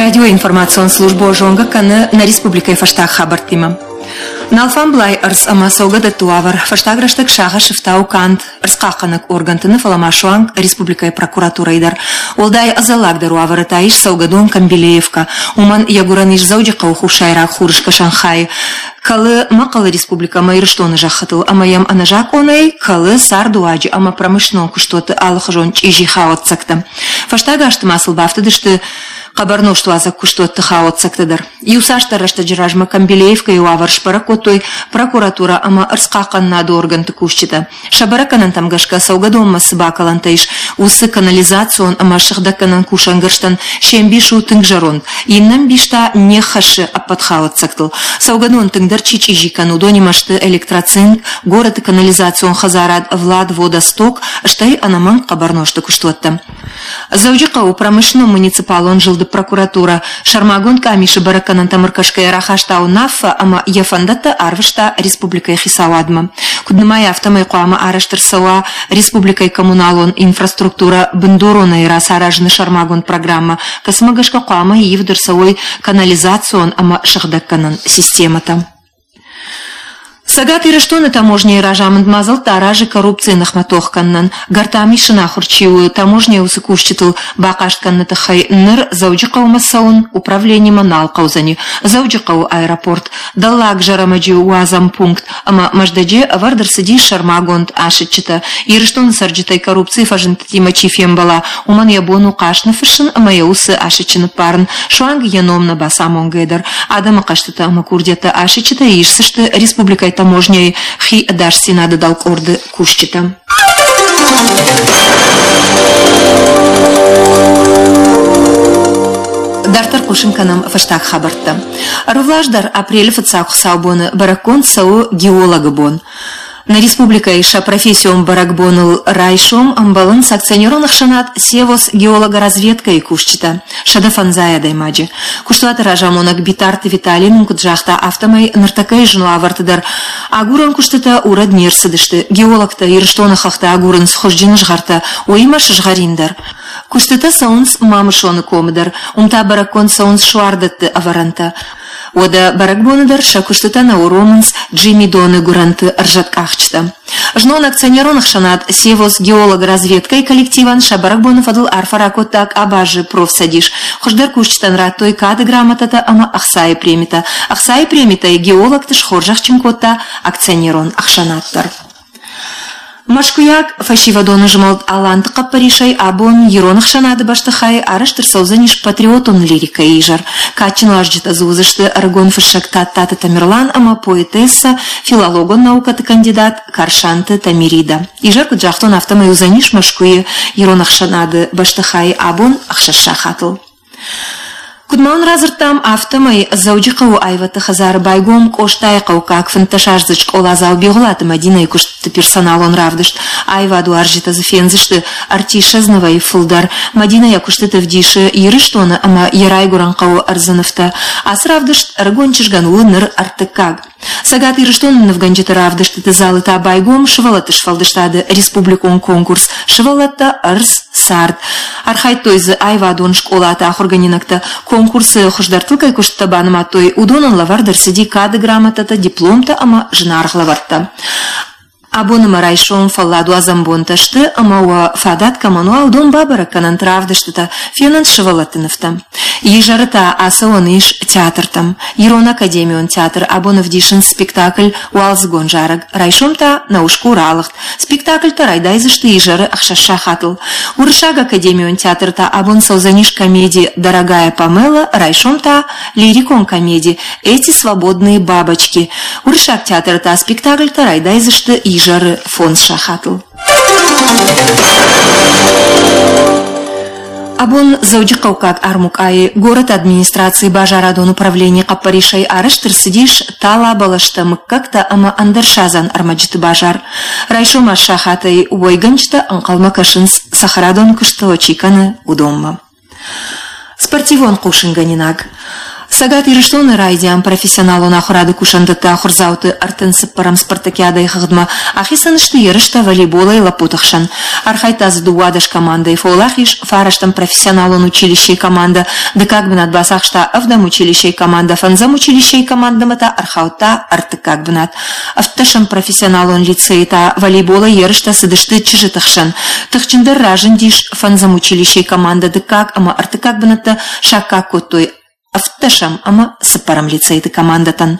Радиоинформацион службӕ зонгӕ кӕны нӕ республикӕйы фӕстаг хабӕрттимӕ. Налфамблай ӕрдз ӕмӕ цӕугӕдӕтты уавӕр фӕстаг рӕстӕг сагъӕсы фтауы канд ӕрдзхъахъхъӕнӕг органты нӕ, фӕлӕ ма суанг республикӕйы прокуратурӕйы дӕр. Уӕлдай ӕдзӕллагдӕр уавӕры та ис цӕугӕдон Камбилеевкӕ. Уымӕн йӕ гуырӕн ис Дзӕуджыхъӕуы хуссайраг хурыскӕсӕн хайы. Кӕлы Мӕхъӕлы республикӕ ӕмӕ Ирыстоны зӕххытыл ӕмӕ йӕм ӕнӕзакъонӕй кӕлы цардуаджы ӕмӕ промышленнон куыстуӕтты алыхуызон чъизи хауӕццӕгтӕ. Фӕстаг азты ма сыл бафтыдысты хъӕбӕр нозтуадзӕг куыстуӕтты хауӕццӕгтӕ дӕр. Иуцасдӕр рӕстӕджы размӕ Камбилеевкӕйы уавӕр сбӕрӕг кодтой прокуратурӕ ӕмӕ ӕрдзхъахъхъӕнынады органты кусджытӕ. Сӕ бӕрӕггӕнӕнтӕм гӕсгӕ цӕугӕдонмӕ цы бакӕлӕнтӕ ис, уыцы канализацион ӕмӕ сыгъдӕггӕнӕн кусӕнгӕрзтӕн се мбис у тынг зӕронд, иннӕ мбис та не ххӕссы ӕппӕт хауӕццӕгтыл. Цӕугӕдон тынгдӕр чи чъизи кӕны, уыдонимӕ сты электроцинк, горӕты канализацион хӕдзарад Владводосток, стӕй ӕнӕмӕнг хъӕбӕрнозты куыстуӕттӕ. Дзӕуджыхъӕуы промышленнон-муниципалон зылды прокуратурӕ сӕрмагонд къамисы бӕрӕггӕнӕнтӕм ӕркӕсгӕйӕ рахаста уынаффӕ ӕмӕ йӕ фӕндӕттӕ арвыста республикӕйы хицауадмӕ. Куыд нымайы, афтӕмӕй хъуамӕ арӕзт ӕрцӕуа республикӕйы коммуналон инфраструктурӕ бындуронӕй рацаразыны сӕрмагонд программӕ, кӕцымӕ гӕсгӕ хъуамӕ ивд ӕрцӕуой канализацион ӕмӕ сыгъдӕггӕнӕн системӕтӕ. Цӕгат Ирыстоны таможнӕйы разамынд мадзӕлттӕ аразы коррупцийы ныхмӕ тох кӕнынӕн. Гӕртам исын ахуыр чи у, таможнӕйы уыцы кусджытыл бахъаст кӕныны тыххӕй ныр Дзӕуджыхъӕумӕ цӕуын управленимӕ нал хъӕудзӕни. Дзӕуджыхъӕуы аэропорт, Дӕллаг Зӕрӕмӕджы уадзӕн пункт ӕмӕ Мӕздӕджы ӕвӕрд ӕрцыдис сӕрмагонд асыччытӕ. Ирыстоны цӕрджытӕй коррупцийы фӕзындтытимӕ чи фембӕла, уымӕн йӕ бон у хъаст ныффыссын ӕмӕ йӕ уыцы асыччы ныппарын, суанг йӕ ном нӕ бацамонгӕйӕ дӕр. Адӕмы хъӕстытӕ ӕмӕ курдиӕттӕ асыччытӕ исдзысты республикӕйы таможнӕйы хи ӕдасдзинады дӕлкъорды кусджытӕ. Дарддӕр хъусын кӕнӕм фӕстаг хабӕрттӕ. Ӕрвылаз дӕр апрелы фыццаг хуыцаубоны бӕрӕггонд цӕуы геологы бон. Нӕ республикӕйы сӕ профессион бӕрӕгбоныл райсом ӕмбӕлынц акционерон ӕхсӕнад «Севос» геологоразведкӕйы кусджытӕ, 150 адӕймаджы. Куыстуаты разамонӕг Битарты Виталий нын куыд загъта, афтӕмӕй ныртӕккӕйы зын уавӕрты дӕр агурӕн куыстытӕ урӕд не рцыдысты. Геологтӕ Ирыстоны хӕхтӕ агурынц хуызджын згъӕртӕ, уыимӕ сызгъӕрин дӕр. Куыстытӕ цӕуынц Мамысоны комы дӕр, уым та бӕрӕггонд цӕуынц суардӕтты ӕвӕрӕнтӕ. Уӕдӕ бӕрӕгбоны дӕр сӕ куыстытӕ нӕ уромынц Джимидоны гуырӕнты ӕрзӕткъахджытӕ. Знон акционерон ӕхсӕнад «Севос геолог-разведкӕйы коллективӕн сӕ бӕрӕгбоны фӕдыл арфӕ ракодта къабазы профцӕдис. Хуыздӕр кусджытӕн радтой кады грамотӕтӕ ӕмӕ ӕхцайы премитӕ. Ӕхцайы премитӕй геологты схорзӕхджын кодта акционерон ӕхсӕнад дӕр. Мӕскуыйаг фӕсивӕдон змӕлд Аланты хъӕппӕрисӕй абон ирон ӕхсӕнады бӕстыхайы арӕзт ӕрцӕудзӕнис патриотон лирикӕйы изӕр. Кадджын уазджытӕ дзы уыдзысты ӕрыгон фыссӕг Тадтаты Тамерлан ӕмӕ поэтессӕ, филологон наукӕты кандидат Карсанты Тамирида. Изӕр, куыд загътон, афтӕмӕй уыдзӕнис Мӕскуыйы ирон ӕхсӕнады бӕстыхайы абон 6 сахатыл. Куыд ма уын радзырдтам, афтӕмӕй Дзӕуджыхъӕуы аивӕдты хӕдзары байгом Къостайыхъӕуккаг фынддӕсаздзыд скъоладзау Бигъуылаты Мӕдинӕйы куыстыты персоналон равдыст. Аивадуарзджытӕ дзы фендзысты ӕртиссӕдз нывӕй фылдӕр. Мӕдинӕ йӕ куыстыты ӕвдисы Ирыстоны ӕмӕ йӕ райгуырӕн хъӕуы ӕрдзы нывтӕ. Ацы равдыст ӕрыгон чызгӕн у ныр ӕртыккаг. Цӕгат Ирыстоны нывгӕнджыты равдыстыты залы та байгом сывӕллӕтты сфӕлдыстады республикон конкурс «Сывӕллӕттӕ, ӕрдз, цард». Архайдтой дзы аивадон скъолаты ахуыргӕнинӕгтӕ. Конкурсы хуыздӕртыл кӕй куыстытӕ банымадтой, уыдонӕн лӕвӕрд ӕрцыди кады грамотӕтӕ, дипломтӕ ӕмӕ зынаргъ лӕвӕрттӕ. Абон ӕмӕ райсом фӕлладуадзӕн бонтӕ сты ӕмӕ уӕ фадат кӕмӕн уа, уыдон бабӕрӕг кӕнӕнт равдыстытӕ, фенӕнт сывӕллӕтты нывтӕ. Изӕры та ацӕуӕн ис театртӕм. Ирон академион театр абон ӕвдисынц спектакль «Уалдзыгон зарӕг», райсом та «Наушку ралыгъд». Спектакльтӕ райдайдзысты изӕры 6 сахатыл. Уырыссаг академион театры та абон цӕудзӕнис комеди «Дорогая Памела», райсом та лирикон комеди «Эти свободные бабочки». Уырыссаг театры та спектакльтӕ райдайдзысты изӕры фондз сахатыл. Абон Дзӕуджыхъӕуккаг армукъайы горӕты администрацийы базарадон управленийы хъӕппӕрисӕй арӕзт ӕрцыдис тала бӕлӕстӕ, мыггӕгтӕ ӕмӕ ӕндӕр садзӕн ӕрмӕджыты базар. Райсом сахатӕй уӕйгӕнджытӕ ӕнхъӕлмӕ кӕсынц, цӕхӕрадоны куыстытӕ чи кӕны, уыдонмӕ. Спортивон хъусынгӕнинаг. Цӕгат Ирыстоны райдиан профессионалон ахуырады кусӕндӕтты ахуырдзауты 34-ӕм спартакиадӕйы хыгъдмӕ ахицӕн сты ерыстӕ волейболӕй лӕппуты хсӕн. Архайдта дзы 12 командӕйы, фӕуӕлахиз фарӕстӕм профессионалон училищейы командӕ, дыккаг бынат бацахста ӕвдӕм училищейы командӕ, фӕндзӕм училищейы командӕмӕ та ӕрхаудта ӕртыккаг бынат. Ӕвддӕсӕм профессионалон лицейы та волейболӕй ерыстӕ цыдысты чызджыты хсӕн. Тыхджындӕр разындис фӕндзӕм училищейы командӕ, дыккаг ӕмӕ ӕртыккаг бынӕттӕ саккаг кодтой ӕвддӕсӕм ӕмӕ цыппӕрӕм лицейты командӕтӕн.